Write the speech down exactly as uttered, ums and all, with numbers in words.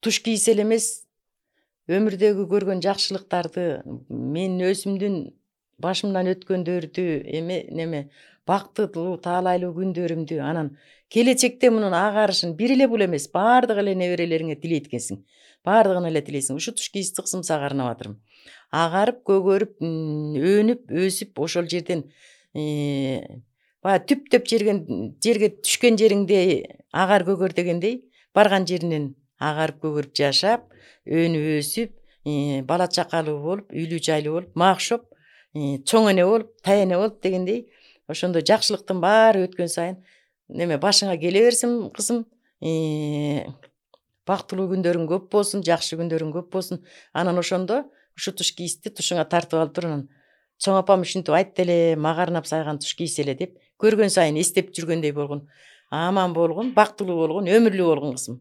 туш кийсе эле эмес, өмүрдөгү көргөн жакшылыктарды, менин өзүмдүн башымдан өткөндөрдү, эме неме бактылуу, таалайлуу күндөрүмдү, анан келечекте мунун агарышын бир эле бул эмес, баардык эле неберелериңе тилейт экенсиң. Баардыгына эле тилейсиң. Ушу туш кийиз тыксымсак арнап атырмын. Агарып, көгөрүп, өнүп, өсүп, ошол жерден баягы түптөп жерген жерге түшкөн жериңде агар көгөр дегендей, барган жеринен агарып, көгөрүп жашап, өнүп, өсүп, бала чакалуу болуп, үйлүү жайлуу болуп, макшоп, чоң эне болуп, тай эне болуп дегендей, ошондой жакшылыктын баары өткөн сайын неме башыңа келе берсин кызым. Бактылуу күндөрүң көп болсун, жакшы күндөрүң көп болсун. Анан ошондо ушу туш кийизди тушуңа тартып алып туруп, анан чоң апам ушинтип айтты эле, мага арнап сайган туш кийсе эле деп, көргөн сайын эстеп жүргөндөй болгун. Аман болгун, бактылуу болгун, өмүрлүү болгун кызым.